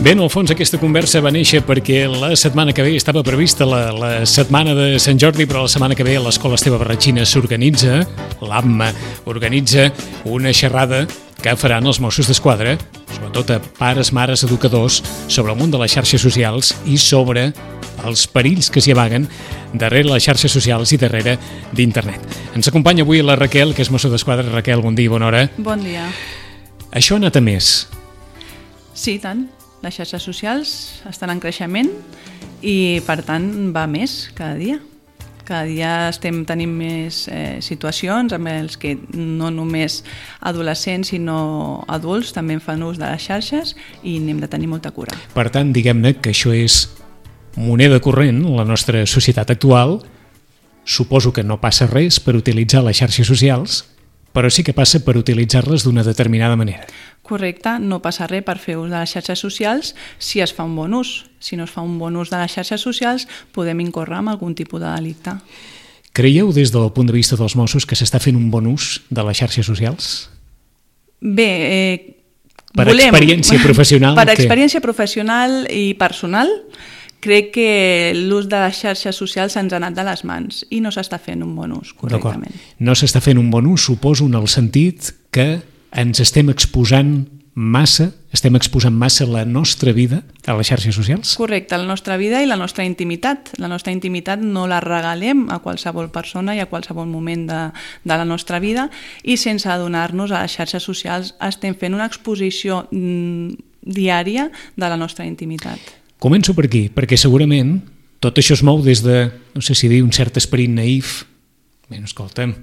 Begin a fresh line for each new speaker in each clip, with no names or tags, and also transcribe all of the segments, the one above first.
Bé, en el fons aquesta conversa va néixer perquè la setmana que ve estava prevista la setmana de Sant Jordi, però la setmana que ve l'Escola Esteve Barratxina s'organitza, l'AMMA organitza una xerrada que faran els Mossos d'Esquadra, sobretot a pares, mares, educadors, sobre el món de les xarxes socials i sobre els perills que s'hi amaguen darrere les xarxes socials i darrere d'internet. Ens acompanya avui la Raquel, que és Mosso d'Esquadra. Raquel, bon dia i bona hora.
Bon dia.
Això ha anat a més.
Sí, tant. Les xarxes socials estan en creixement i, per tant, va més cada dia. Cada dia tenim més situacions amb els que no només adolescents sinó adults també en fan ús de les xarxes i n'hem de tenir molta cura.
Per tant, diguem-ne que això és moneda corrent en la nostra societat actual. Suposo que no passa res per utilitzar les xarxes socials, però sí que passa per utilitzar-les d'una determinada manera.
Correcte, no passa res per fer ús de les xarxes socials si es fa un bon ús. Si no es fa un bon ús de les xarxes socials, podem incórrer en algun tipus de delicte.
Creieu, des del punt de vista dels Mossos, que s'està fent un bon ús de les xarxes socials?
Bé,
per experiència professional.
Per experiència professional i personal, crec que l'ús de les xarxes socials se'ns ha anat de les mans i no s'està fent un bon ús correctament.
No s'està fent un bon ús, suposo, en el sentit que ens estem exposant massa la nostra vida a les xarxes socials?
Correcte, la nostra vida i la nostra intimitat. La nostra intimitat no la regalem a qualsevol persona i a qualsevol moment de la nostra vida i sense adonar-nos a les xarxes socials estem fent una exposició diària de la nostra intimitat.
Començo per aquí, perquè segurament tot això es mou des de, no sé si dir, un cert esperit naïf. Bé, escolta'm,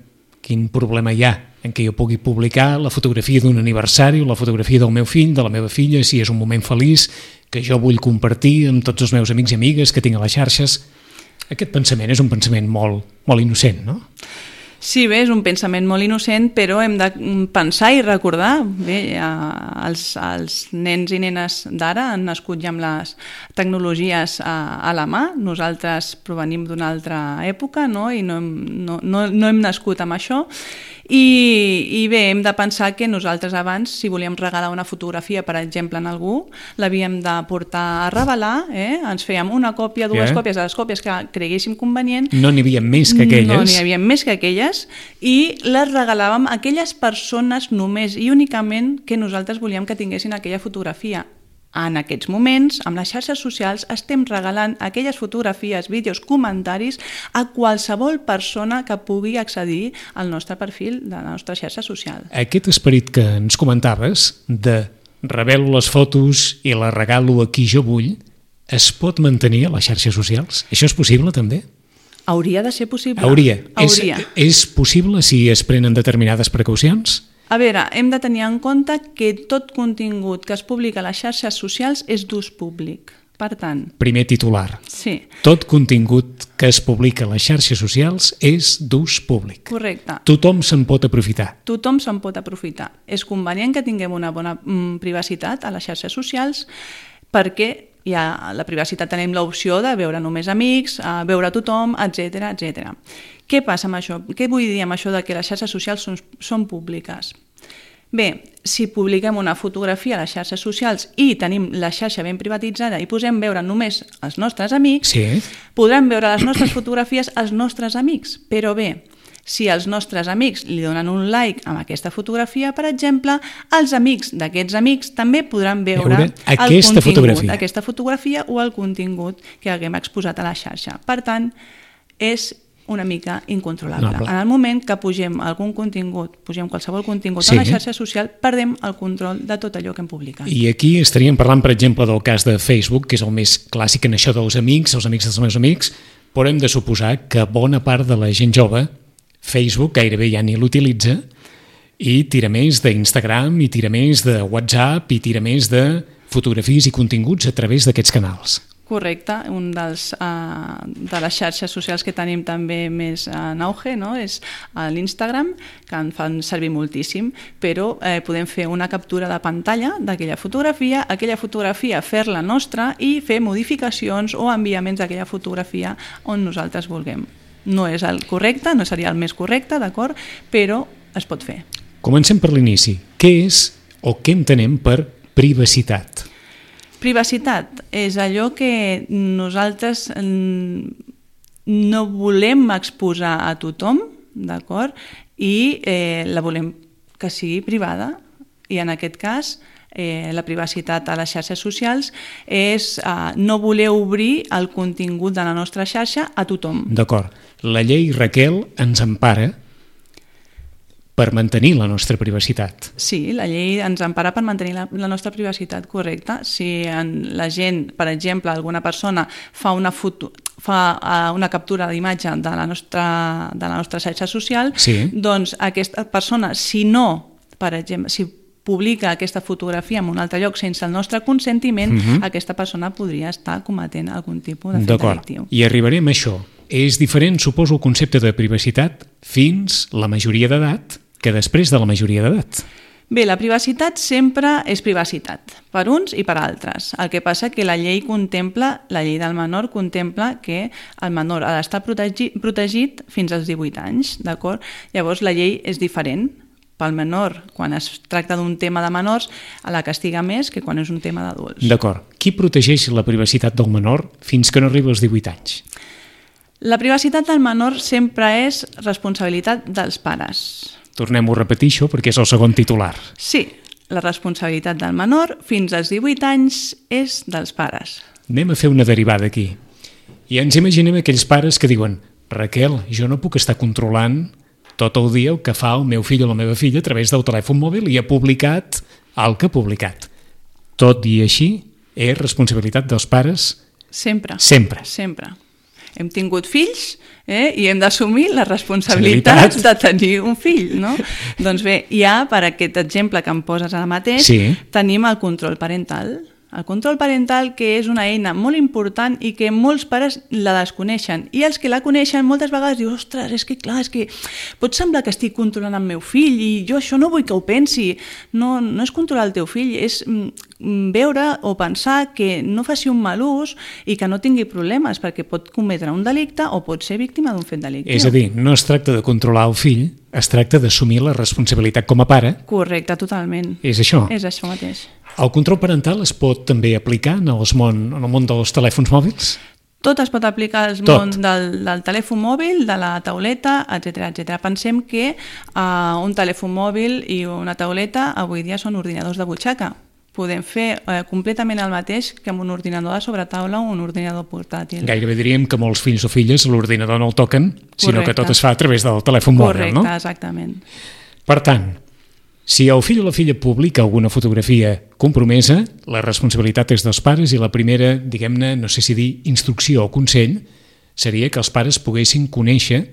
quin problema hi ha en què jo pugui publicar la fotografia d'un aniversari o la fotografia del meu fill, de la meva filla, si és un moment feliç que jo vull compartir amb tots els meus amics i amigues que tinc a les xarxes. Aquest pensament és un pensament molt innocent, no?
Sí, bé, és un pensament molt innocent, però hem de pensar i recordar. Bé, els nens i nenes d'ara han nascut ja amb les tecnologies a la mà. Nosaltres provenim d'una altra època, no? I no hem nascut amb això. I bé, hem de pensar que nosaltres abans, si volíem regalar una fotografia, per exemple, en algú, l'havíem de portar a revelar, ens fèiem una còpia, dues còpies, de les còpies que creguéssim convenient.
No n'hi havia més que aquelles.
No n'hi havia més que aquelles i les regalàvem a aquelles persones només i únicament que nosaltres volíem que tinguessin aquella fotografia. En aquests moments, amb les xarxes socials, estem regalant aquelles fotografies, vídeos, comentaris a qualsevol persona que pugui accedir al nostre perfil de la nostra xarxa social.
Aquest esperit que ens comentaves de revelo les fotos i les regalo a qui jo vull, es pot mantenir a les xarxes socials? Això és possible, també?
Hauria de ser possible.
Hauria. És possible si es prenen determinades precaucions?
A veure, hem de tenir en compte que tot contingut que es publica a les xarxes socials és d'ús públic. Per tant...
Primer titular.
Sí.
Tot contingut que es publica a les xarxes socials és d'ús públic.
Correcte.
Tothom se'n pot aprofitar.
Tothom se'n pot aprofitar. És convenient que tinguem una bona privacitat a les xarxes socials perquè la privacitat tenim l'opció de veure només amics, veure tothom, etc. Què passa amb això? Què vull dir amb això de que les xarxes socials són públiques? Bé, si publiquem una fotografia a les xarxes socials i tenim la xarxa ben privatitzada i posem veure només els nostres amics, podran veure les nostres fotografies els nostres amics. Però bé, si els nostres amics li donen un like amb aquesta fotografia, per exemple, els amics d'aquests amics també podran veure aquesta fotografia o el contingut que haguem exposat a la xarxa. Per tant, és una mica incontrolable. En el moment que pugem qualsevol contingut a la xarxa social, perdem el control de tot allò que hem publicat.
I aquí estaríem parlant, per exemple, del cas de Facebook, que és el més clàssic en això dels amics, els amics dels meus amics, però hem de suposar que bona part de la gent jove Facebook gairebé ja ni l'utilitza i tira més d'Instagram, i tira més de WhatsApp, i tira més de fotografies i continguts a través d'aquests canals.
Correcte, un de les xarxes socials que tenim també més en auge, no? És l'Instagram, que en fan servir moltíssim, però podem fer una captura de pantalla d'aquella fotografia fer-la nostra i fer modificacions o enviaments d'aquella fotografia on nosaltres vulguem. No és el correcte, no seria el més correcte, d'acord? Però es pot fer.
Comencem per l'inici. Què és o què entenem per privacitat?
Privacitat és allò que nosaltres no volem exposar a tothom, d'acord? I la volem que sigui privada, i en aquest cas la privacitat a les xarxes socials és no voler obrir el contingut de la nostra xarxa a tothom.
D'acord. La llei, Raquel, ens empara per mantenir la nostra privacitat.
Sí, la llei ens empara per mantenir la nostra privacitat, correcte. Si la gent, per exemple, alguna persona fa una captura d'imatge de la nostra xarxa social,
sí,
doncs aquesta persona, si no, per exemple, si publica aquesta fotografia en un altre lloc sense el nostre consentiment, aquesta persona podria estar cometent algun tipus de fet delictiu.
I arribarem a això. És diferent, suposo, el concepte de privacitat fins la majoria d'edat que després de la majoria d'edat.
Bé, la privacitat sempre és privacitat, per uns i per altres. El que passa que la llei del menor contempla que el menor ha d'estar protegit fins als 18 anys, d'acord? Llavors la llei és diferent. Pel menor, quan es tracta d'un tema de menors, la castiga més que quan és un tema d'adults.
D'acord. Qui protegeix la privacitat del menor fins que no arriba als 18 anys?
La privacitat del menor sempre és responsabilitat dels pares.
Tornem-ho a repetir això perquè és el segon titular.
Sí, la responsabilitat del menor fins als 18 anys és dels pares.
Anem a fer una derivada aquí. I ens imaginem aquells pares que diuen: Raquel, jo no puc estar controlant tot el dia el que fa el meu fill o la meva filla a través del telèfon mòbil i ha publicat el que ha publicat. Tot i així, és responsabilitat dels pares?
Sempre.
Sempre.
Sempre. Hem tingut fills i hem d'assumir la responsabilitat de tenir un fill, no? Doncs bé, ja per aquest exemple que em poses ara mateix, tenim el control parental. El control parental, que és una eina molt important i que molts pares la desconeixen. I els que la coneixen moltes vegades diuen: ostres, és que clar, pot semblar que estic controlant el meu fill i jo això no vull que ho pensi. No és controlar el teu fill, és veure o pensar que no faci un mal ús i que no tingui problemes, perquè pot cometre un delicte o pot ser víctima d'un fet delictiu.
És a dir, no es tracta de controlar el fill, es tracta d'assumir la responsabilitat com a pare.
Correcte, totalment.
És això.
És això mateix.
El control parental es pot també aplicar en el món dels telèfons mòbils?
Tot es pot aplicar al món del telèfon mòbil, de la tauleta, etc. Pensem que un telèfon mòbil i una tauleta avui dia són ordinadors de butxaca. Podem fer completament el mateix que amb un ordinador de sobretaula o un ordinador portàtil.
Gairebé diríem que molts fills o filles l'ordinador no el toquen, sinó que tot es fa a través del telèfon mòbil, no?
Correcte, exactament.
Per tant, si el fill o la filla publica alguna fotografia compromesa, la responsabilitat és dels pares i la primera, diguem-ne, no sé si dir instrucció o consell, seria que els pares poguessin conèixer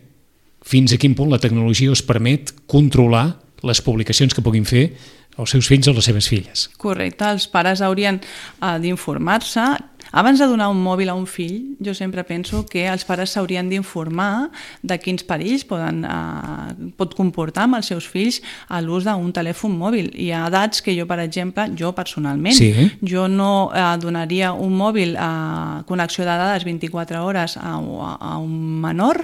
fins a quin punt la tecnologia us permet controlar les publicacions que puguin fer els seus fills o les seves filles.
Correcte, els pares haurien d'informar-se. Abans de donar un mòbil a un fill, jo sempre penso que els pares s'haurien d'informar de quins perills pot comportar amb els seus fills a l'ús d'un telèfon mòbil. Hi ha edats que jo, per exemple, jo personalment, jo no donaria un mòbil a connexió de dades 24 hores a un menor,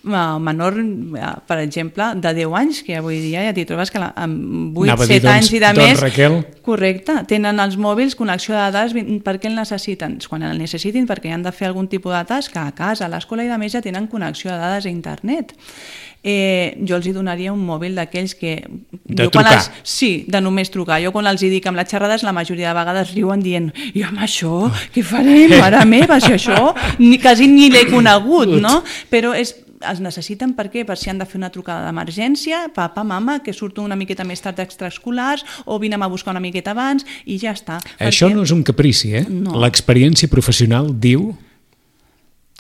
per exemple, de 10 anys, que avui dia ja t'hi trobes que amb 8-7 anys i de més,
Raquel,
correcte, tenen els mòbils connexió de dades. Per què el necessiten? Quan el necessitin, perquè han de fer algun tipus de tasca a casa, a l'escola i de més ja tenen connexió de dades a internet. Jo els hi donaria un mòbil d'aquells que...
De trucar.
Sí, de només trucar. Jo quan els hi dic amb les xerrades, la majoria de vegades riuen dient: i amb això, què farem? Mare meva, si això quasi ni l'he conegut, no? Però els necessiten per què? Per si han de fer una trucada d'emergència, papa, mama, que surto una miqueta més tard d'extraescolars, o vine'm a buscar una miqueta abans, i ja està.
Això no és un caprici,
No.
L'experiència professional diu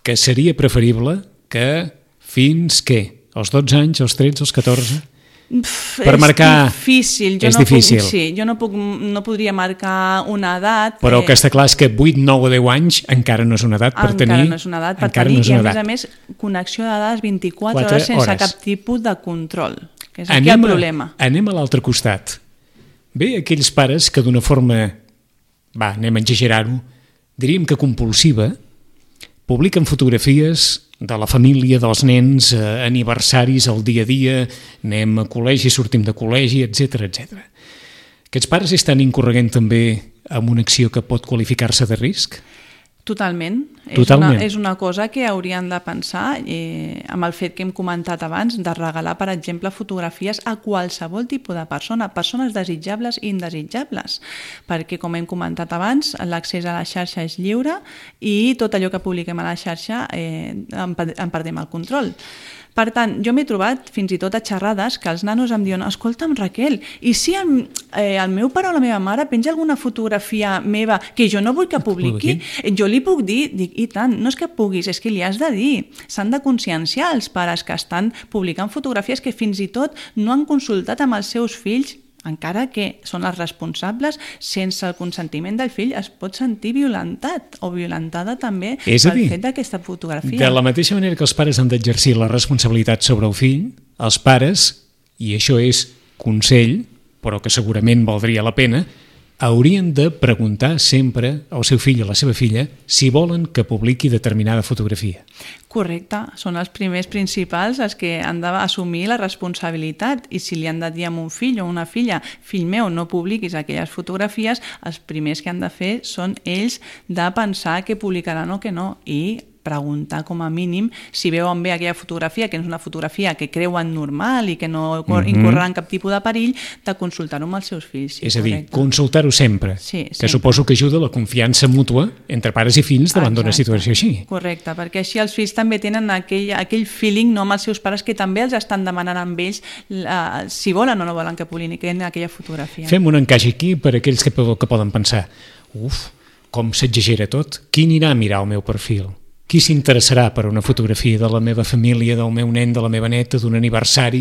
que seria preferible que fins, què? Als 12 anys, als 13, als 14... per marcar...
Difícil.
És difícil.
Jo no podria marcar una edat...
Però el que està clar és que 8, 9 o 10 anys encara no és una edat per tenir...
Encara no és una edat per tenir, i a més, connexió de dades 24 hores sense cap tipus de control, que és aquí el problema.
Anem a l'altre costat. Bé, aquells pares que d'una forma, anem a exagerar-ho, diríem que compulsiva, publiquen fotografies de la família, dels nens, aniversaris, el dia a dia, anem a col·legi, sortim de col·legi, etc. Aquests pares estan incorreguent també amb una acció que pot qualificar-se de risc?
Totalment.
Totalment.
És una cosa que haurien de pensar amb el fet que hem comentat abans de regalar, per exemple, fotografies a qualsevol tipus de persona, persones desitjables i indesitjables, perquè, com hem comentat abans, l'accés a la xarxa és lliure i tot allò que publiquem a la xarxa en perdem el control. Per tant, jo m'he trobat fins i tot a xerrades que els nanos em diuen: escolta'm, Raquel, i si el meu pare o la meva mare penja alguna fotografia meva que jo no vull que publiqui, jo li puc dir? Dic, i tant, no és que puguis, és que li has de dir. S'han de conscienciar els pares que estan publicant fotografies que fins i tot no han consultat amb els seus fills, encara que són els responsables, sense el consentiment del fill es pot sentir violentat o violentada també pel fet d'aquesta fotografia.
De la mateixa manera que els pares han d'exercir la responsabilitat sobre el fill, els pares, i això és consell, però que segurament valdria la pena, haurien de preguntar sempre al seu fill o a la seva filla si volen que publiqui determinada fotografia.
Correcte, són els primers principals els que han d'assumir la responsabilitat, i si li han de dir a un fill o una filla: fill meu, no publiquis aquelles fotografies, els primers que han de fer són ells de pensar que publicaran o que no, i preguntar com a mínim si veuen bé aquella fotografia, que és una fotografia que creuen normal i que no incorrerà en cap tipus de perill, de consultar-ho amb els seus fills. Sí,
és a dir, consultar-ho sempre,
sí,
que suposo que ajuda la confiança mútua entre pares i fills davant d'una situació així.
Correcte, perquè així els fills també tenen aquell feeling amb els seus pares que també els estan demanant amb ells si volen o no volen que publiquin aquella fotografia.
Fem un encaix aquí per a aquells que poden pensar: com s'exagera tot, qui anirà a mirar el meu perfil? Qui s'interessarà per una fotografia de la meva família, del meu nen, de la meva neta, d'un aniversari?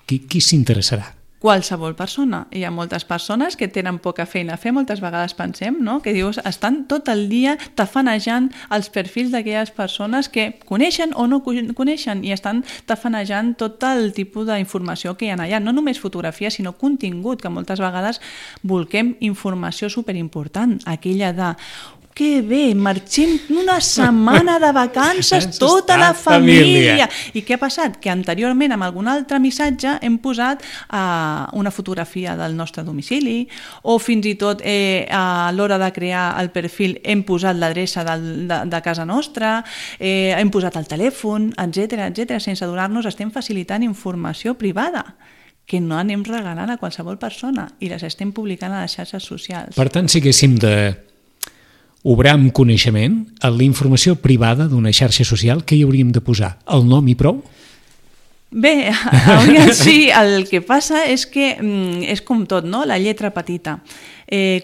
Qui s'interessarà?
Qualsevol persona. Hi ha moltes persones que tenen poca feina a fer, moltes vegades pensem, no? Que dius, estan tot el dia tafanejant els perfils d'aquelles persones que coneixen o no coneixen, i estan tafanejant tot el tipus d'informació que hi ha allà. No només fotografia, sinó contingut, que moltes vegades volquem informació superimportant, aquella de: que bé, marxem una setmana de vacances tota la família. I què ha passat? Que anteriorment amb algun altre missatge hem posat una fotografia del nostre domicili, o fins i tot a l'hora de crear el perfil hem posat l'adreça de casa nostra, hem posat el telèfon, etc. Sense adonar-nos estem facilitant informació privada que no anem regalant a qualsevol persona i les estem publicant a les xarxes socials.
Per tant, si haguéssim de obrar amb coneixement en la informació privada d'una xarxa social, què hi hauríem de posar? El nom i prou?
Bé, sí, el que passa és que és com tot, no? La lletra petita.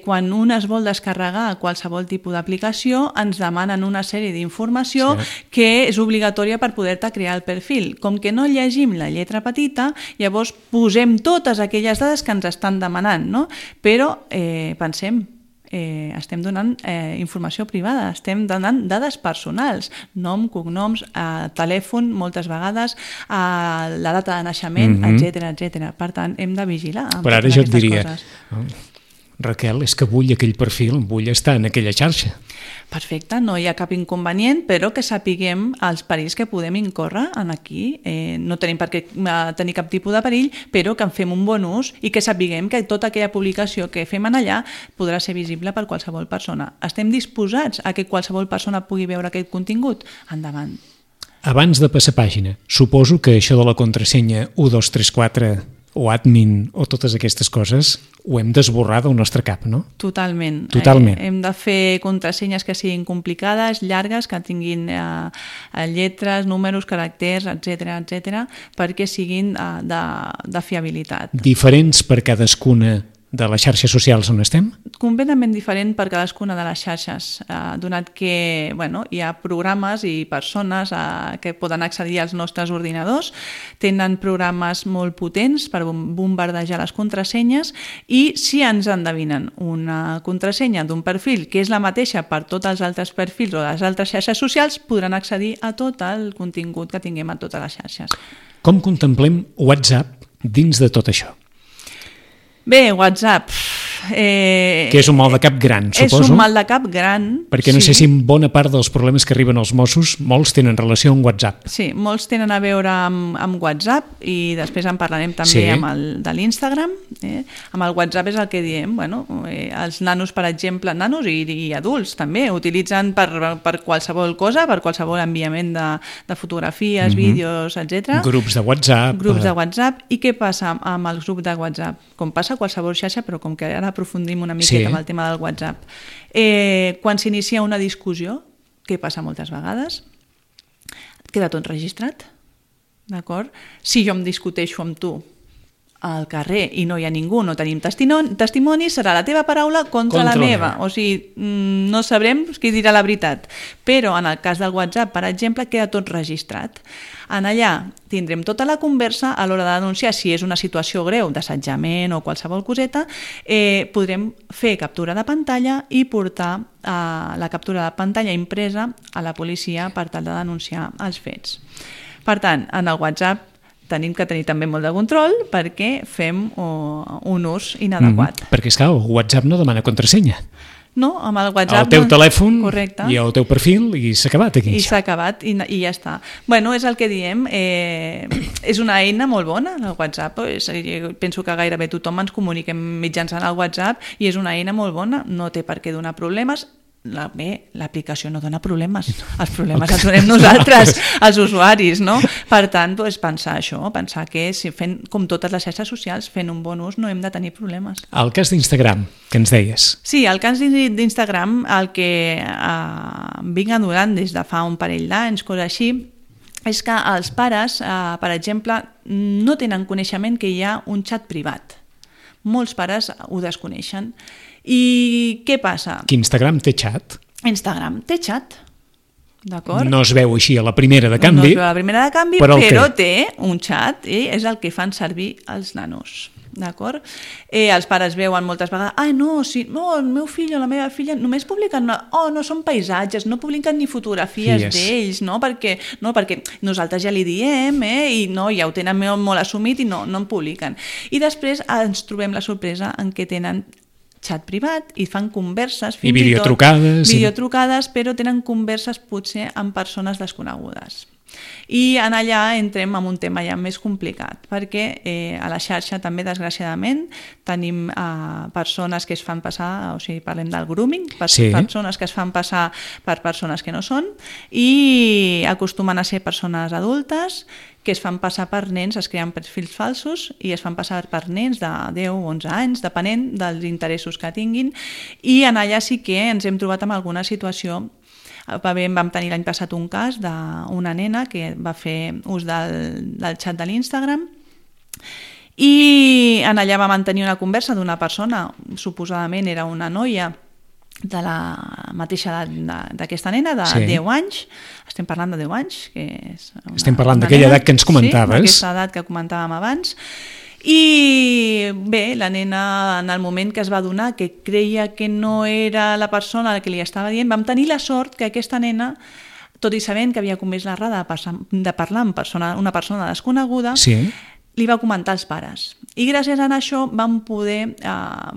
Quan un es vol descarregar qualsevol tipus d'aplicació, ens demanen una sèrie d'informació que és obligatòria per poder-te crear el perfil. Com que no llegim la lletra petita, llavors posem totes aquelles dades que ens estan demanant, no? Però pensem, estem donant informació privada, estem donant dades personals, nom, cognoms, telèfon, moltes vegades, la data de naixement, etc. Per tant, hem de vigilar amb totes aquestes coses.
Raquel, és que vull aquell perfil, vull estar en aquella xarxa.
Perfecte, no hi ha cap inconvenient, però que sapiguem els perills que podem incórrer en aquí. No tenim per què tenir cap tipus de perill, però que en fem un bon ús i que sapiguem que tota aquella publicació que fem allà podrà ser visible per qualsevol persona. Estem disposats a que qualsevol persona pugui veure aquest contingut? Endavant.
Abans de passar pàgina, suposo que això de la contrasenya 1234 o admin o totes aquestes coses ho hem d'esborrar del nostre cap, no?
Totalment. Hem de fer contrasenyes que siguin complicades, llargues, que tinguin lletres, números, caràcters, etc., perquè siguin de fiabilitat.
Diferents per cadascuna de les xarxes socials on estem?
Completament diferent per cadascuna de les xarxes, donat que hi ha programes i persones que poden accedir als nostres ordinadors, tenen programes molt potents per bombardejar les contrasenyes, i si ens endevinen una contrasenya d'un perfil que és la mateixa per tots els altres perfils o les altres xarxes socials, podran accedir a tot el contingut que tinguem a totes les xarxes.
Com contemplem WhatsApp dins de tot això?
Bé, WhatsApp
Que és un mal de cap gran, suposo.
És un mal de cap gran.
Perquè no sé si en bona part dels problemes que arriben als Mossos, molts tenen relació amb WhatsApp.
Sí, molts tenen a veure amb WhatsApp i després en parlarem també amb el de l'Instagram. Amb el WhatsApp és el que diem, els nanos, per exemple, nanos i adults també, utilitzen per qualsevol cosa, per qualsevol enviament de fotografies, vídeos, etc.
Grups de WhatsApp.
Grups de WhatsApp. I què passa amb els grups de WhatsApp? Com passa a qualsevol xarxa, però com que ara aprofundim una miqueta amb el tema del WhatsApp. Quan s'inicia una discussió, què passa moltes vegades? Queda tot registrat, d'acord? Si jo em discuteixo amb tu al carrer i no hi ha ningú, no tenim testimoni, serà la teva paraula contra la meva. O sigui, no sabrem qui dirà la veritat. Però en el cas del WhatsApp, per exemple, queda tot registrat. En allà tindrem tota la conversa a l'hora de denunciar si és una situació greu d'assetjament o qualsevol coseta, podrem fer captura de pantalla i portar la captura de pantalla impresa a la policia per tal de denunciar els fets. Per tant, en el WhatsApp tenim que tenir també molt de control perquè fem un ús inadequat.
Perquè, esclar, el WhatsApp no demana contrasenya.
No, amb el WhatsApp...
El teu telèfon
correcte.
I el teu perfil i s'ha acabat aquí.
I s'ha acabat i ja està. Bueno, és el que diem, és una eina molt bona, el WhatsApp. Penso que gairebé tothom ens comuniquem mitjançant el WhatsApp i és una eina molt bona, no té per què donar problemes. L'aplicació no dona problemes, els problemes els donem nosaltres, els usuaris, no? Per tant, pensar això, pensar que si fent, com totes les xarxes socials, fent un bon ús no hem de tenir problemes.
El cas d'Instagram, que ens deies.
Sí, el cas d'Instagram, el que vinc adonant des de fa un parell d'anys, cosa així, és que els pares, per exemple, no tenen coneixement que hi ha un xat privat. Molts pares ho desconeixen. I què passa?
Que Instagram té xat?
Instagram té xat, d'acord?
No es veu així a la primera de canvi.
No es veu a la primera de canvi, però té un xat i és el que fan servir els nanos, d'acord? Els pares veuen moltes vegades, el meu fill o la meva filla només publiquen, no són paisatges, no publiquen ni fotografies d'ells, no? Perquè nosaltres ja li diem, i ja ho tenen molt assumit i no en publiquen. I després ens trobem la sorpresa en què tenen xat privat i fan converses
i videotrucades,
però tenen converses potser amb persones desconegudes. I en allà entrem en un tema ja més complicat, perquè a la xarxa també, desgraciadament, tenim persones que es fan passar, o sigui, parlem del grooming, persones que es fan passar per persones que no són i acostumen a ser persones adultes que es fan passar per nens, es creen perfils falsos i es fan passar per nens de 10 o 11 anys, depenent dels interessos que tinguin, i en allà sí que ens hem trobat amb alguna situació. Vam tenir l'any passat un cas d'una nena que va fer ús del xat de l'Instagram i en allà va mantenir una conversa d'una persona, suposadament era una noia de la mateixa edat d'aquesta nena, de 10 anys, estem parlant de 10 anys, que és
estem parlant d'aquella edat que ens comentaves.
Sí, d'aquesta edat que comentàvem abans. I bé, la nena, en el moment que es va adonar que creia que no era la persona a la que li estava dient, vam tenir la sort que aquesta nena, tot i sabent que havia comès l'errada de parlar amb una persona desconeguda, li va comentar als pares. I gràcies a això vam poder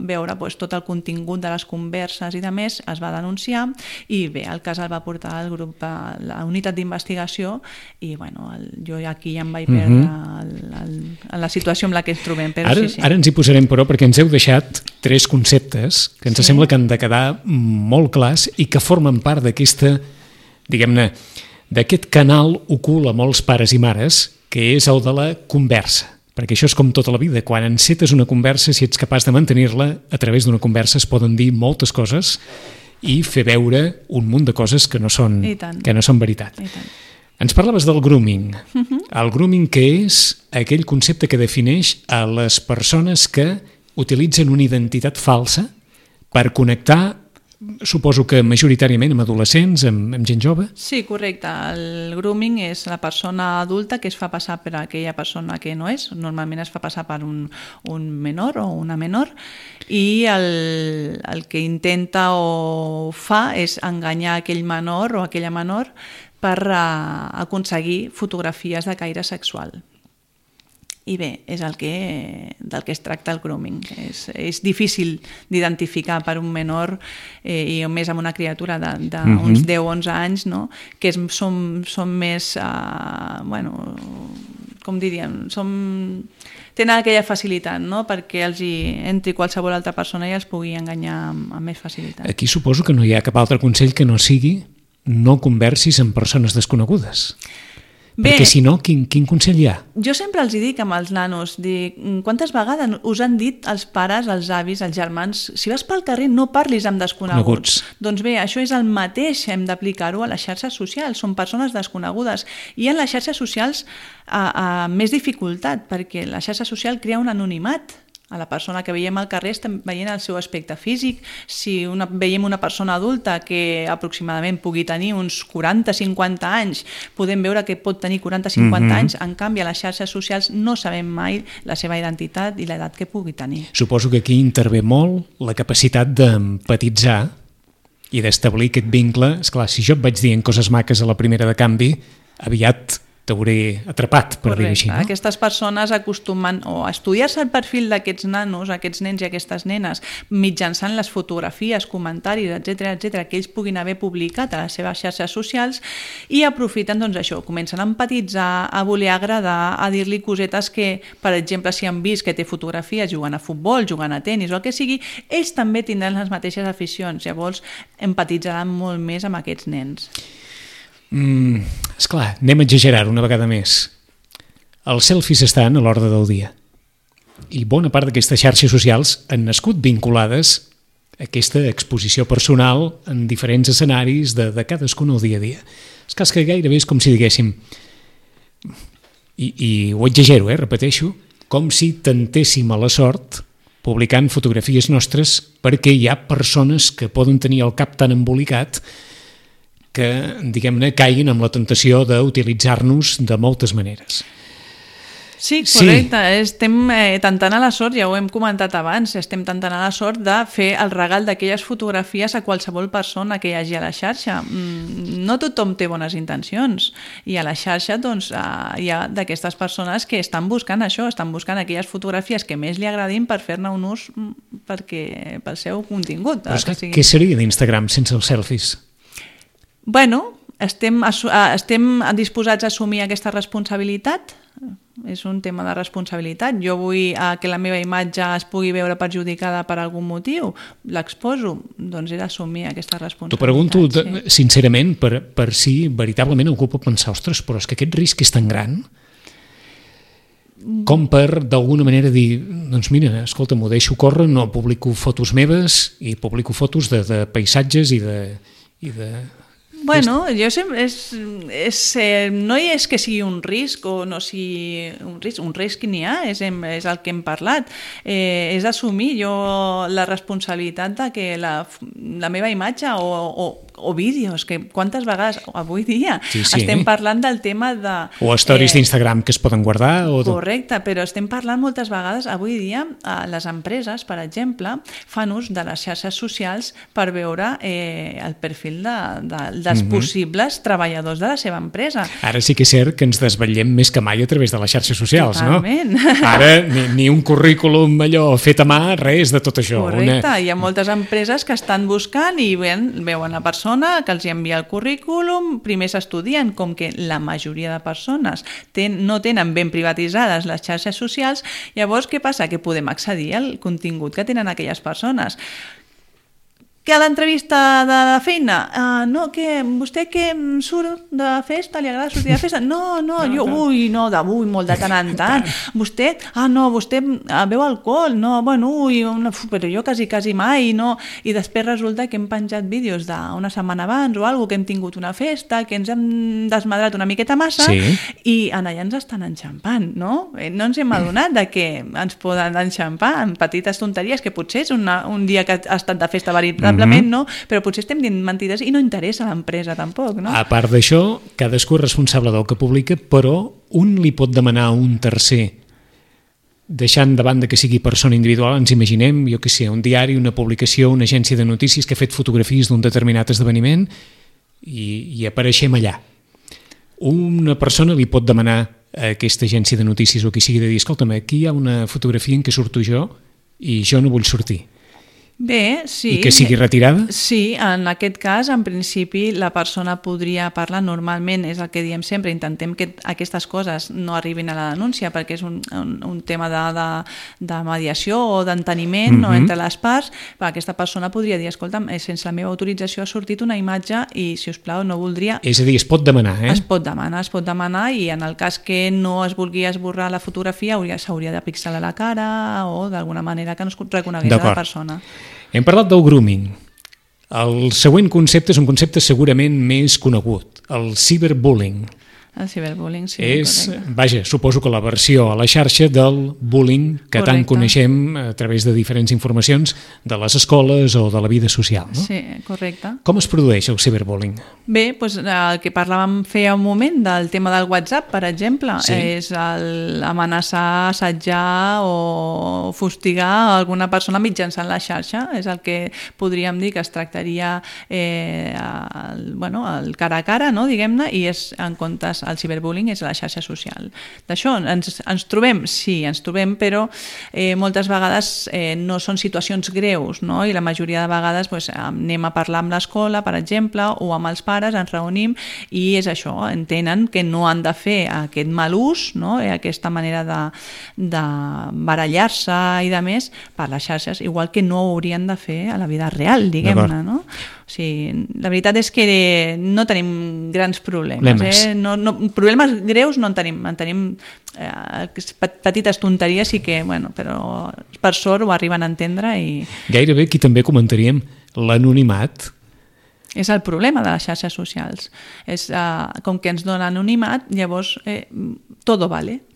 veure tot el contingut de les converses i de més, es va denunciar i bé, el cas el va portar al grup, a la unitat d'investigació i jo aquí ja em vaig perdre la situació en la que ens trobem.
Ara ens hi posarem, però, perquè ens heu deixat 3 conceptes que ens sembla que han de quedar molt clars i que formen part d'aquesta, diguem-ne, d'aquest canal ocult a molts pares i mares, que és el de la conversa. Perquè això és com tota la vida. Quan encetes una conversa, si ets capaç de mantenir-la, a través d'una conversa es poden dir moltes coses i fer veure un munt de coses que no són veritat. Ens parlaves del grooming. El grooming, que és aquell concepte que defineix a les persones que utilitzen una identitat falsa per connectar, suposo que majoritàriament amb adolescents, amb gent jove?
Sí, correcte. El grooming és la persona adulta que es fa passar per aquella persona que no és. Normalment es fa passar per un menor o una menor i el que intenta o fa és enganyar aquell menor o aquella menor per aconseguir fotografies de caire sexual. I bé, és del que es tracta el grooming. És difícil d'identificar per un menor i més amb una criatura d'uns 10-11 anys, no? Que són més, com diríem, tenen aquella facilitat, no? Perquè els hi entri qualsevol altra persona i els pugui enganyar amb més facilitat.
Aquí suposo que no hi ha cap altre consell que no sigui no conversis amb persones desconegudes. Bé, perquè si no, quin consell hi ha?
Jo sempre els dic amb els nanos, quantes vegades us han dit els pares, els avis, els germans, si vas pel carrer no parlis amb desconeguts. Doncs bé, això és el mateix, hem d'aplicar-ho a les xarxes socials, són persones desconegudes. I en les xarxes socials més dificultat, perquè la xarxa social crea un anonimat. A la persona que veiem al carrer estem veient el seu aspecte físic. Si veiem una persona adulta que aproximadament pugui tenir uns 40-50 anys, podem veure que pot tenir 40-50 anys, en canvi a les xarxes socials no sabem mai la seva identitat i l'edat que pugui tenir.
Suposo que aquí intervé molt la capacitat d'empatitzar i d'establir aquest vincle. Esclar, si jo et vaig dient coses maques a la primera de canvi, aviat t'hauré atrapat, per dir-ho així, no?
Aquestes persones acostumen a estudiar-se el perfil d'aquests nanos, aquests nens i aquestes nenes, mitjançant les fotografies, comentaris, etc que ells puguin haver publicat a les seves xarxes socials, i aprofiten, doncs això, comencen a empatitzar, a voler agradar, a dir-li cosetes que, per exemple, si han vist que té fotografies jugant a futbol, jugant a tenis o el que sigui, ells també tindran les mateixes aficions, llavors empatitzaran molt més amb aquests nens.
Esclar, anem a exagerar una vegada més. Els selfies estan a l'ordre del dia i bona part d'aquestes xarxes socials han nascut vinculades a aquesta exposició personal en diferents escenaris de cadascun el dia a dia. És que gairebé és com si diguéssim, i ho exagero, repeteixo, com si tentéssim a la sort publicant fotografies nostres perquè hi ha persones que poden tenir el cap tan embolicat que, diguem-ne, caiguin amb la tentació d'utilitzar-nos de moltes maneres.
Sí, correcte. Estem tentant a la sort, ja ho hem comentat abans, estem tentant a la sort de fer el regal d'aquelles fotografies a qualsevol persona que hi hagi a la xarxa. No tothom té bones intencions i a la xarxa doncs, hi ha d'aquestes persones que estan buscant això, estan buscant aquelles fotografies que més li agradin per fer-ne un ús pel seu contingut.
Però és que què seria d'Instagram sense els selfies?
Bueno, estem disposats a assumir aquesta responsabilitat. És un tema de responsabilitat. Jo vull que la meva imatge es pugui veure perjudicada per algun motiu, l'exposo, doncs he d'assumir aquesta responsabilitat.
T'ho pregunto sincerament per si veritablement algú pot pensar, ostres, però és que aquest risc és tan gran com per d'alguna manera dir, doncs mira, escolta, m'ho deixo córrer, no publico fotos meves i publico fotos de paisatges i de...
Bueno, jo sempre no és que sigui un risc o no sigui un risc n'hi ha, és el que hem parlat. És assumir jo la responsabilitat de que la meva imatge o vídeos, que quantes vegades avui dia estem parlant del tema de...
O stories d'Instagram que es poden guardar.
Correcte, però estem parlant moltes vegades, avui dia, les empreses, per exemple, fan ús de les xarxes socials per veure el perfil dels possibles treballadors de la seva empresa.
Ara sí que és cert que ens desvetllem més que mai a través de les xarxes socials,
totalment.
No? Ara ni un currículum allò fet a mà, res de tot això.
Correcte, hi ha moltes empreses que estan buscant i veuen la persona que els envia el currículum, primer s'estudien, com que la majoria de persones no tenen ben privatitzades les xarxes socials, llavors què passa? Que podem accedir al contingut que tenen aquelles persones. Que a l'entrevista de la feina, no, que vostè que surt de festa, li agrada sortir de festa? No, jo, molt de tant en tant. Vostè, vostè beu alcohol? No, bueno, però jo quasi mai, no. I després resulta que hem penjat vídeos d'una setmana abans o alguna que hem tingut una festa, que ens hem desmadrat una miqueta massa i allà ens estan enxampant, no? No ens hem adonat que ens poden enxampar en petites tonteries, que potser és un dia que ha estat de festa veritablement, no? Però potser estem dient mentides i no interessa a l'empresa tampoc, no?
A part d'això, cadascú és responsable del que publica, però un li pot demanar a un tercer, deixant de banda que sigui persona individual, ens imaginem, jo què sé, un diari, una publicació, una agència de notícies que ha fet fotografies d'un determinat esdeveniment i apareixem allà. Una persona li pot demanar aquesta agència de notícies o qui sigui de dir, escolta'm, aquí hi ha una fotografia en què surto jo i jo no vull sortir.
Bé, sí.
I que sigui retirada?
Sí, en aquest cas, en principi, la persona podria parlar normalment, és el que diem sempre, intentem que aquestes coses no arribin a la denúncia, perquè és un tema de mediació o d'enteniment no, entre les parts. Aquesta persona podria dir, escolta'm, sense la meva autorització ha sortit una imatge i, si us plau, no voldria...
És a dir, es pot demanar,
Es pot demanar i en el cas que no es vulgui esborrar la fotografia s'hauria de pixelar la cara o d'alguna manera que no es reconegués a la persona.
Hem parlat del grooming. El següent concepte és un concepte segurament més conegut, el cyberbullying.
El ciberbullying, sí,
correcte. Vaja, suposo que la versió a la xarxa del bullying que tant coneixem a través de diferents informacions de les escoles o de la vida social, no?
Sí, correcte.
Com es produeix el ciberbullying?
Bé, doncs el que parlàvem feia un moment del tema del WhatsApp, per exemple, és amenaçar, assetjar o fustigar alguna persona mitjançant la xarxa. És el que podríem dir que es tractaria el cara a cara, no, diguem-ne, i és en comptes el ciberbullying és a la xarxa social. D'això ens trobem? Sí, ens trobem, però moltes vegades no són situacions greus, no? I la majoria de vegades anem a parlar amb l'escola, per exemple, o amb els pares, ens reunim i és això, entenen que no han de fer aquest mal ús, no? Aquesta manera de barallar-se i de més per les xarxes, igual que no ho haurien de fer a la vida real, diguem-ne, no? O sigui, la veritat és que no tenim grans problemes. Problemes greus no en tenim. En tenim petites tonteries i que, però per sort ho arriben a entendre i...
Gairebé aquí també comentaríem l'anonimat.
És el problema de les xarxes socials. Com que ens dona anonimat, llavors todo vale.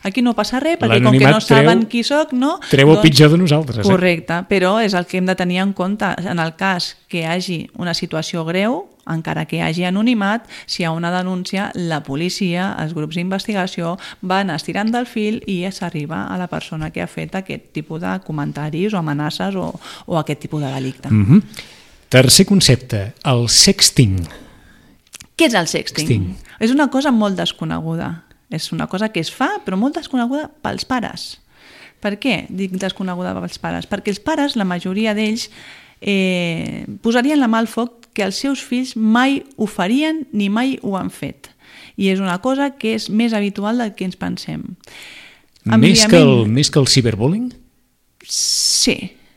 Aquí no passa res, perquè com que no saben qui soc, no...
Treu el pitjor de nosaltres.
Correcte, però és el que hem de tenir en compte. En el cas que hi hagi una situació greu, encara que hi hagi anonimat, si hi ha una denúncia, la policia, els grups d'investigació van estirant del fil i s'arriba a la persona que ha fet aquest tipus de comentaris o amenaces o aquest tipus de delicte.
Tercer concepte, el sexting.
Què és el sexting? És una cosa molt desconeguda. És una cosa que es fa, però molt desconeguda pels pares. Per què dic desconeguda pels pares? Perquè els pares, la majoria d'ells, posarien la mà al foc que els seus fills mai ho farien ni mai ho han fet. I és una cosa que és més habitual del que ens pensem.
Més que el ciberbullying?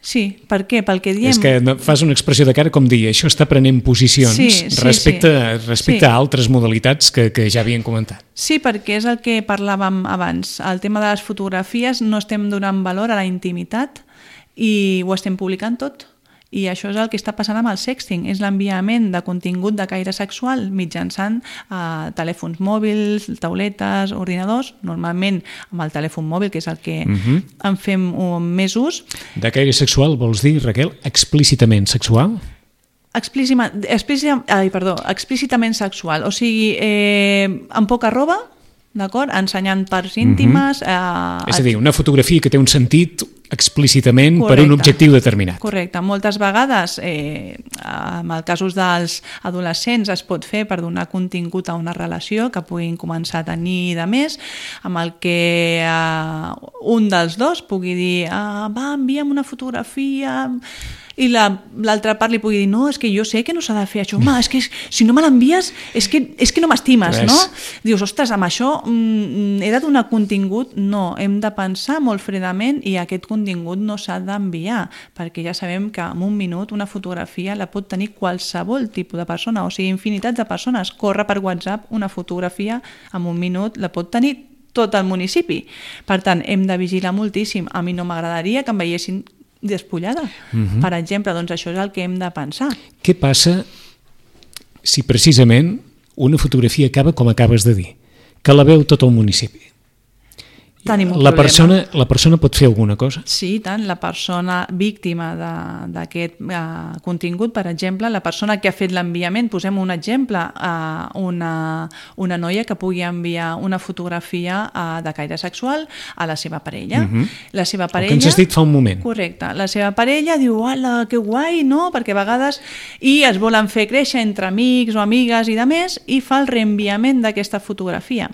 Sí, per què? Pel que diem...
És que fas una expressió de cara com dir, això està prenent posicions respecte a altres modalitats que ja havien comentat.
Sí, perquè és el que parlàvem abans. El tema de les fotografies no estem donant valor a la intimitat i ho estem publicant tot. I això és el que està passant amb el sexting, és l'enviament de contingut de caire sexual mitjançant telèfons mòbils, tauletes, ordinadors, normalment amb el telèfon mòbil, que és el que en fem més ús. De
caire sexual vols dir, Raquel, explícitament sexual?
Explícitament sexual, o sigui, amb poca roba, d'acord? Ensenyant parts íntimes...
És a dir, una fotografia que té un sentit explícitament per un objectiu determinat.
Correcte. Moltes vegades, en els casos dels adolescents, es pot fer per donar contingut a una relació que puguin començar a tenir de més, amb el que un dels dos pugui dir envia'm una fotografia... i l'altra part li pugui dir no, és que jo sé que no s'ha de fer això, home, és que si no me l'envies és que no m'estimes, no? Dius, ostres, amb això he de donar contingut? No, hem de pensar molt fredament i aquest contingut no s'ha d'enviar, perquè ja sabem que en un minut una fotografia la pot tenir qualsevol tipus de persona, o sigui, infinitats de persones. Corre per WhatsApp una fotografia en un minut, la pot tenir tot el municipi. Per tant, hem de vigilar moltíssim. A mi no m'agradaria que em veiessin despullada. Per exemple, doncs això és el que hem de pensar.
Què passa si precisament una fotografia acaba com acabes de dir, que la veu tot el municipi?
Tenim un
problema. La persona pot fer alguna cosa?
Sí, tant. La persona víctima d'aquest contingut, per exemple, la persona que ha fet l'enviament, posem un exemple, una noia que pugui enviar una fotografia de caire sexual a la seva parella. La seva parella...
El que ens has dit fa un moment.
Correcte. La seva parella diu, hola, que guai, no? Perquè a vegades es volen fer créixer entre amics o amigues i de més i fa el reenviament d'aquesta fotografia.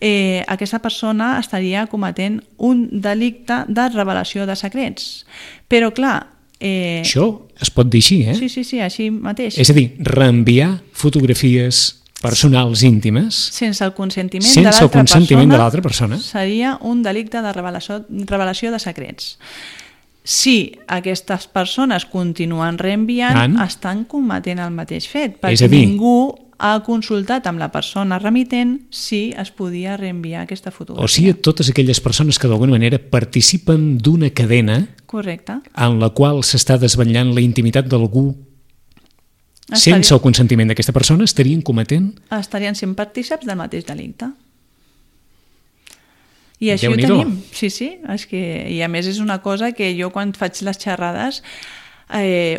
aquesta persona estaria cometent un delicte de revelació de secrets. Però, clar...
Això es pot dir així, eh?
Sí, així mateix.
És a dir, reenviar fotografies personals íntimes
sense el consentiment
de l'altra persona
seria un delicte de revelació de secrets. Si aquestes persones continuen reenviant, estan cometent el mateix fet, perquè ningú ha consultat amb la persona remitent si es podia reenviar aquesta fotografia.
O sigui, totes aquelles persones que d'alguna manera participen d'una cadena en la qual s'està desvetllant la intimitat d'algú sense el consentiment d'aquesta persona, estarien
sent partícips del mateix delicte. I així ho tenim. Sí, és que, i a més és una cosa que jo quan faig les xerrades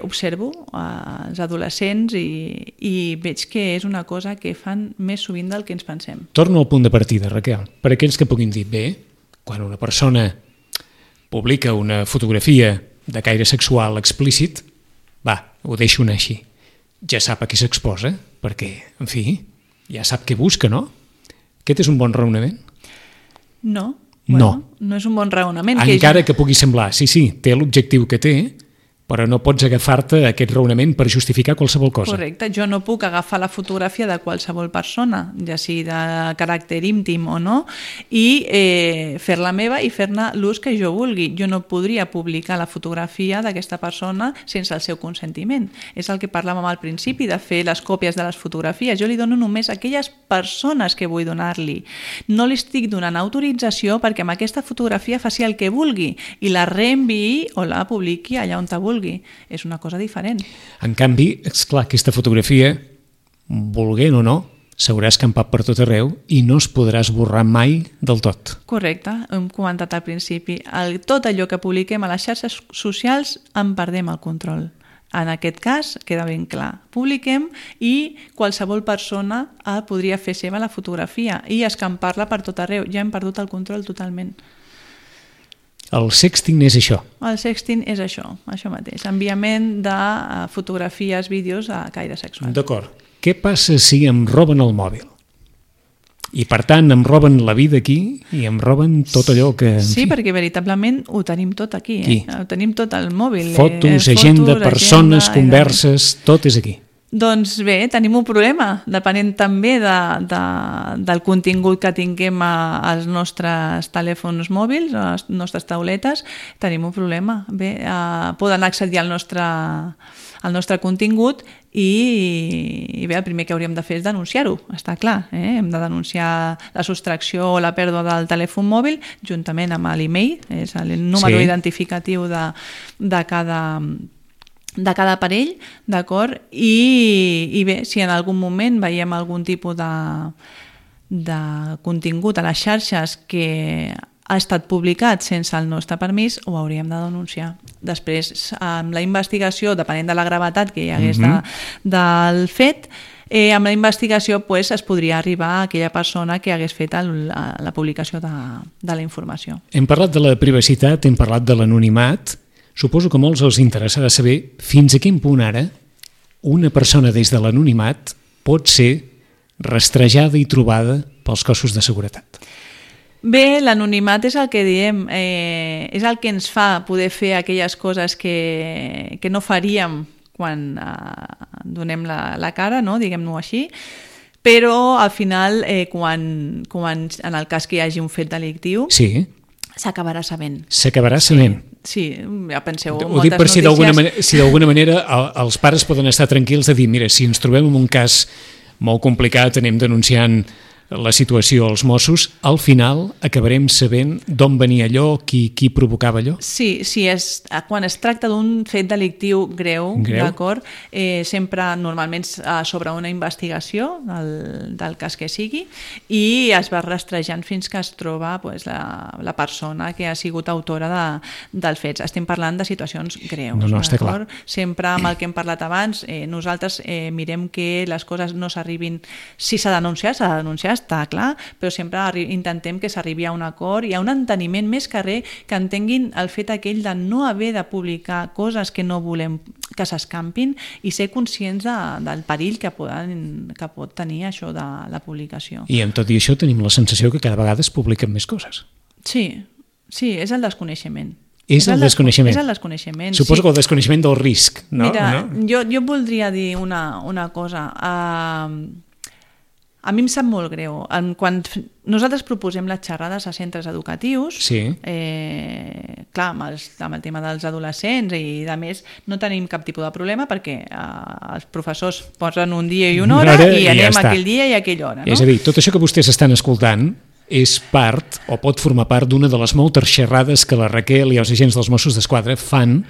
observo els adolescents i veig que és una cosa que fan més sovint del que ens pensem.
Torno al punt de partida, Raquel. Per aquells que puguin dir, bé, quan una persona publica una fotografia de caire sexual explícit, va, ho deixo anar així. Ja sap a qui s'exposa, perquè, en fi, ja sap què busca, no? Aquest és un bon raonament?
No. No és un bon raonament.
Encara que pugui semblar, sí, té l'objectiu que té, però no pots agafar-te aquest raonament per justificar qualsevol cosa.
Correcte, jo no puc agafar la fotografia de qualsevol persona, ja sigui de caràcter íntim o no, i fer-la meva i fer-ne l'ús que jo vulgui. Jo no podria publicar la fotografia d'aquesta persona sense el seu consentiment. És el que parlàvem al principi, de fer les còpies de les fotografies. Jo li dono només a aquelles persones que vull donar-li. No li estic donant autorització perquè amb aquesta fotografia faci el que vulgui i la reenviï o la publiqui allà on vulgui. És una cosa diferent.
En canvi, esclar, aquesta fotografia, volent o no, s'haurà escampat per tot arreu i no es podrà esborrar mai del tot.
Correcte, hem comentat al principi. Tot allò que publiquem a les xarxes socials en perdem el control. En aquest cas, queda ben clar. Publiquem i qualsevol persona podria fer seva la fotografia i escampar-la per tot arreu. Ja hem perdut el control totalment.
El sexting és això?
El sexting és això mateix. Enviament de fotografies, vídeos a caire sexual.
D'acord. Què passa si em roben el mòbil? I per tant em roben la vida aquí i em roben tot allò que...
Sí, perquè veritablement ho tenim tot aquí. Ho tenim tot al mòbil.
Fotos, agenda, persones, converses, tot és aquí.
Doncs bé, tenim un problema, depenent també del contingut que tinguem als nostres telèfons mòbils, a les nostres tauletes, tenim un problema. Bé, poden accedir al nostre contingut i bé, el primer que hauríem de fer és denunciar-ho, està clar. Hem de denunciar la sostracció o la pèrdua del telèfon mòbil juntament amb l'email, és el número identificatiu de cada aparell, d'acord? I bé, si en algun moment veiem algun tipus de contingut a les xarxes que ha estat publicat sense el nostre permís, ho hauríem de denunciar. Després, amb la investigació, depenent de la gravetat que hi hagués del fet, amb la investigació es podria arribar a aquella persona que hagués fet la publicació de la informació.
Hem parlat de la privacitat, hem parlat de l'anonimat. Suposo que a molts els interessarà saber fins a quin punt ara una persona des de l'anonimat pot ser rastrejada i trobada pels cossos de seguretat.
Bé, l'anonimat és el que diem, és el que ens fa poder fer aquelles coses que no faríem quan donem la cara, no? Diguem-ho així, però al final, quan en el cas que hi hagi un fet delictiu, s'acabarà sabent.
S'acabarà sabent.
Sí, ja penseu,
ho dic per si d'alguna manera els pares poden estar tranquils de dir, mira, si ens trobem en un cas molt complicat, anem denunciant la situació als Mossos, al final acabarem sabent d'on venia allò, qui provocava allò?
Sí, quan es tracta d'un fet delictiu greu, d'acord, sempre normalment sobre una investigació del cas que sigui i es va rastrejant fins que es troba la persona que ha sigut autora dels fets. Estem parlant de situacions greus.
No, està clar.
Sempre amb el que hem parlat abans, nosaltres mirem que les coses no s'arribin... Si s'ha de denunciar, està clar, però sempre intentem que s'arribi a un acord i a un enteniment més que entenguin el fet aquell de no haver de publicar coses que no volem que s'escampin i ser conscients del perill que pot tenir això de la publicació.
I amb tot i això tenim la sensació que cada vegada es publiquen més coses.
Sí, és el desconeixement.
És el desconeixement.
És el desconeixement.
Suposo que el desconeixement del risc, no?
Mira, jo voldria dir una cosa. A mi em sap molt greu. Quan nosaltres proposem les xerrades a centres educatius, clar, amb el tema dels adolescents i de més, no tenim cap tipus de problema perquè els professors posen un dia i una hora i anem aquell dia i aquella hora. No?
És a dir, tot això que vostès estan escoltant és part, o pot formar part, d'una de les moltes xerrades que la Raquel i els agents dels Mossos d'Esquadra fan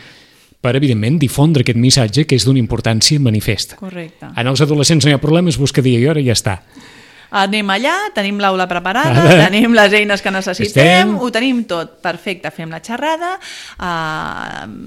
per, evidentment, difondre aquest missatge que és d'una importància manifesta.
Correcte.
En els adolescents no hi ha problema, es busca dia i hora i ja està.
Anem allà, tenim l'aula preparada, tenim les eines que necessitem, ho tenim tot. Perfecte, fem la xerrada.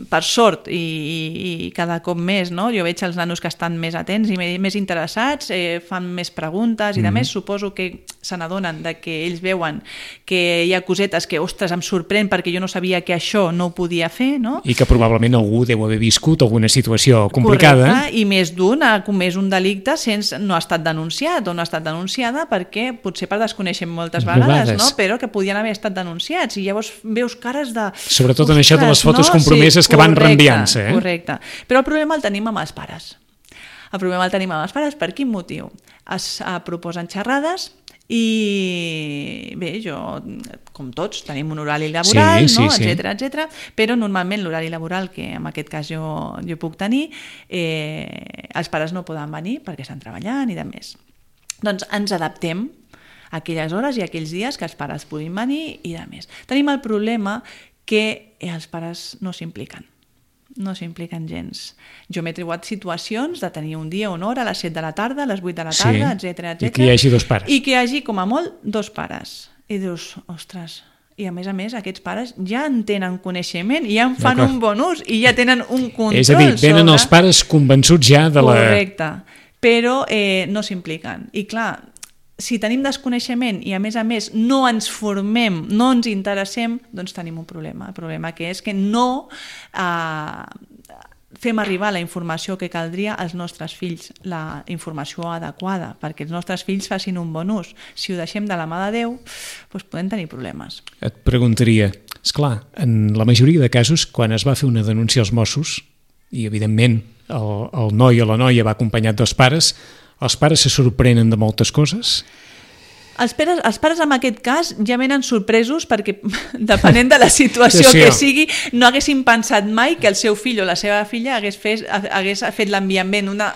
Per sort, i cada cop més, no? Jo veig els nanos que estan més atents i més interessats, fan més preguntes i de més. Suposo que se n'adonen que ells veuen que hi ha cosetes que, ostres, em sorprèn perquè jo no sabia que això no ho podia fer, no?
I que probablement algú deu haver viscut alguna situació complicada.
Correcte, i més d'un ha comès un delicte sense no ha estat denunciat o no ha estat denunciada perquè potser per desconeixem moltes vegades, no? Però que podien haver estat denunciats i llavors veus cares de...
Sobretot en això de les fotos compromeses que van reenviant-se.
Correcte, però el problema el tenim amb els pares. El problema el tenim amb els pares per quin motiu? Es proposen xerrades i bé, jo, com tots, tenim un horari laboral, etcètera, però normalment l'horari laboral que en aquest cas jo puc tenir, els pares no poden venir perquè estan treballant i de més. Doncs ens adaptem a aquelles hores i a aquells dies que els pares puguin venir i de més. Tenim el problema que els pares no s'impliquen gens. Jo m'he trobat situacions de tenir un dia o una hora a les 7 de la tarda, a les 8 de la tarda, etcètera.
I que hi hagi dos pares.
I que hi hagi, com a molt, dos pares. I dius, ostres... I a més, aquests pares ja en tenen coneixement i ja en fan un bon ús i ja tenen un control.
És a dir, venen els pares convençuts ja de la...
Correcte, però no s'impliquen. I clar, si tenim desconeixement i a més no ens formem, no ens interessem, doncs tenim un problema. El problema que és que no fem arribar la informació que caldria als nostres fills, la informació adequada, perquè els nostres fills facin un bon ús. Si ho deixem de la mà de Déu, doncs podem tenir problemes.
Et preguntaria, esclar, en la majoria de casos, quan es va fer una denúncia als Mossos, i evidentment el noi o la noia va acompanyat dels pares, els pares se sorprenen de moltes coses?
Els pares en aquest cas ja venen sorpresos perquè, depenent de la situació que sigui, no haguessin pensat mai que el seu fill o la seva filla hagués fet l'enviament, una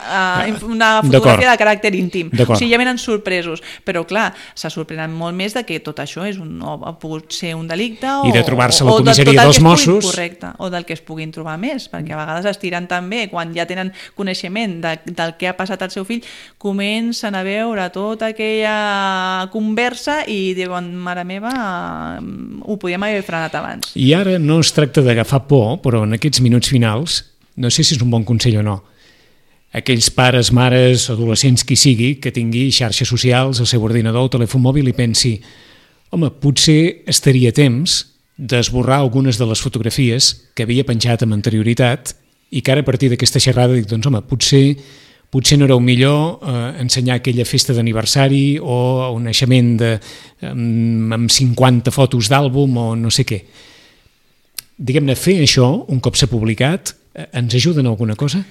fotografia de caràcter íntim. O sigui, ja venen sorpresos. Però, clar, se sorprenen molt més de que tot això ha pogut ser un delicte
i de trobar-se a la comissaria dels Mossos.
Correcte, o del que es puguin trobar més, perquè a vegades es tiren també, quan ja tenen coneixement del que ha passat al seu fill, comencen a veure tota aquella conversa i diuen, mare meva, ho podíem haver frenat abans.
I ara no es tracta d'agafar por, però en aquests minuts finals, no sé si és un bon consell o no, aquells pares, mares, adolescents, qui sigui, que tingui xarxes socials, el seu ordinador o telèfon mòbil i pensi, home, potser estaria temps d'esborrar algunes de les fotografies que havia penjat amb anterioritat i que ara a partir d'aquesta xerrada dic, doncs home, potser no era el millor ensenyar aquella festa d'aniversari o un naixement amb 50 fotos d'àlbum o no sé què. Diguem-ne, fer això, un cop s'ha publicat, ens ajuda en alguna cosa?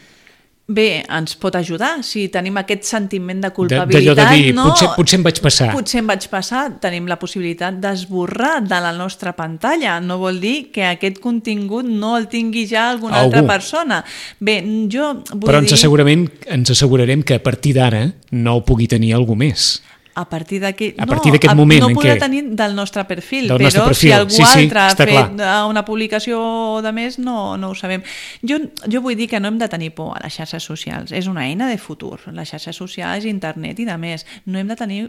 Bé, ens pot ajudar. Si tenim aquest sentiment de culpabilitat...
De dir, potser em vaig passar.
Potser em vaig passar. Tenim la possibilitat d'esborrar de la nostra pantalla. No vol dir que aquest contingut no el tingui ja alguna altra persona. Bé, jo vull dir...
Però ens assegurarem que a partir d'ara no ho pugui tenir algú més.
A partir d'aquest
moment
no podrà tenir del nostre perfil, però si algú altre ha fet una publicació de més, no ho sabem. Jo vull dir que no hem de tenir por a les xarxes socials. És una eina de futur. Les xarxes socials, internet i de més. No hem de tenir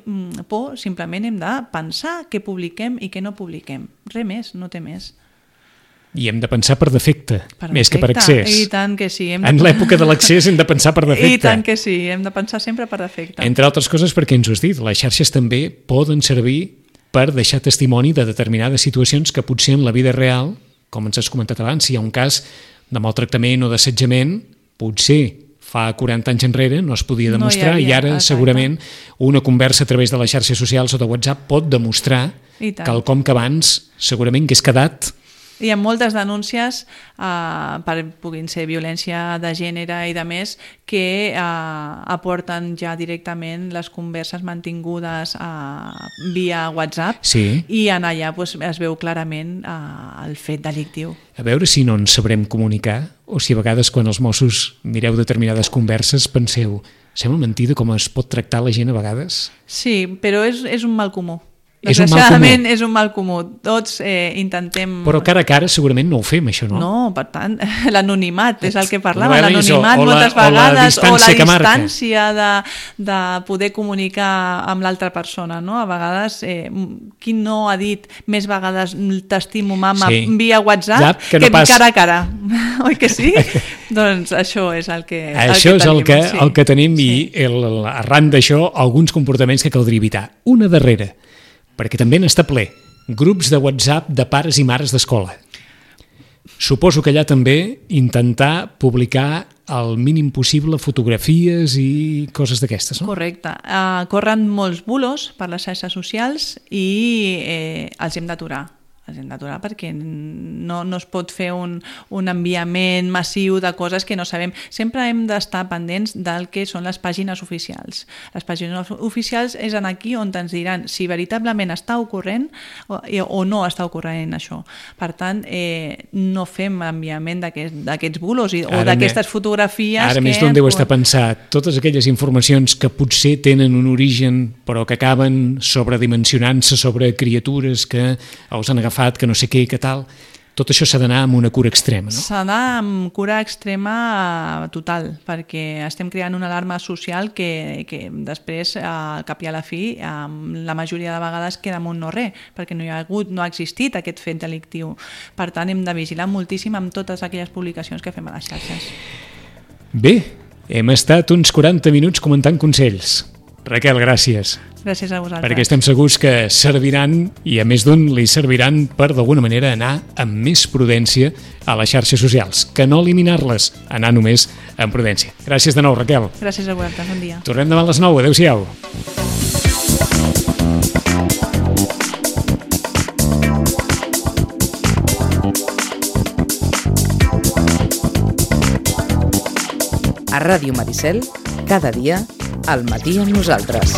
por, simplement hem de pensar què publiquem i què no publiquem. Res més, no té més.
I hem de pensar per defecte, més que per accés.
I tant que sí.
En l'època de l'accés hem de pensar per defecte.
I tant que sí, hem de pensar sempre per defecte.
Entre altres coses perquè ens ho has dit, les xarxes també poden servir per deixar testimoni de determinades situacions que potser en la vida real, com ens has comentat abans, si hi ha un cas de maltractament o d'assetjament, potser fa 40 anys enrere no es podia demostrar i ara segurament una conversa a través de les xarxes socials o de WhatsApp pot demostrar quelcom que abans segurament hagués quedat.
Hi ha moltes denúncies, puguin ser violència de gènere i de més, que aporten ja directament les converses mantingudes via WhatsApp i en allà es veu clarament el fet delictiu.
A veure si no ens sabrem comunicar o si a vegades quan els Mossos mireu determinades converses penseu, sembla mentida com es pot tractar la gent a vegades?
Sí, però és un mal comú.
Desgraciadament
és un mal comú. Tots intentem...
Però cara a cara segurament no ho fem, això, no?
No, per tant, l'anonimat és el que parlàvem, l'anonimat moltes vegades, o la distància de poder comunicar amb l'altra persona, no? A vegades, qui no ha dit més vegades t'estimo mama via WhatsApp que cara a cara? Oi que sí? Doncs això és el que tenim.
Això és el que tenim i arran d'això alguns comportaments que caldria evitar. Una darrera, perquè també n'està ple, grups de WhatsApp de pares i mares d'escola. Suposo que allà també intentar publicar el mínim possible fotografies i coses d'aquestes, no?
Correcte. Corren molts bulos per les xarxes socials i els hem d'aturar. Perquè no es pot fer un enviament massiu de coses que no sabem. Sempre hem d'estar pendents del que són les pàgines oficials. Les pàgines oficials és aquí on ens diran si veritablement està ocorrent o no està ocorrent això. Per tant, no fem enviament d'aquests bulos o d'aquestes fotografies.
Ara més d'on deu estar pensat. Totes aquelles informacions que potser tenen un origen però que acaben sobredimensionant-se sobre criatures que els han agafat, que no sé què, que tal, tot això s'ha d'anar amb una cura extrema, no?
S'ha d'anar amb cura extrema total, perquè estem creant una alarma social que després, al cap i a la fi, la majoria de vegades queda amb un no res, perquè no ha existit aquest fet delictiu. Per tant, hem de vigilar moltíssim amb totes aquelles publicacions que fem a les xarxes.
Bé, hem estat uns 40 minuts comentant consells. Raquel, gràcies.
Gràcies a vosaltres.
Perquè estem segurs que serviran, i a més d'un li serviran per d'alguna manera anar amb més prudència a les xarxes socials, que no eliminar-les, anar només amb prudència. Gràcies de nou, Raquel.
Gràcies a vosaltres, bon dia.
Tornem demà a les 9, adéu-siau.
A Ràdio Maricel, cada dia, al matí amb nosaltres.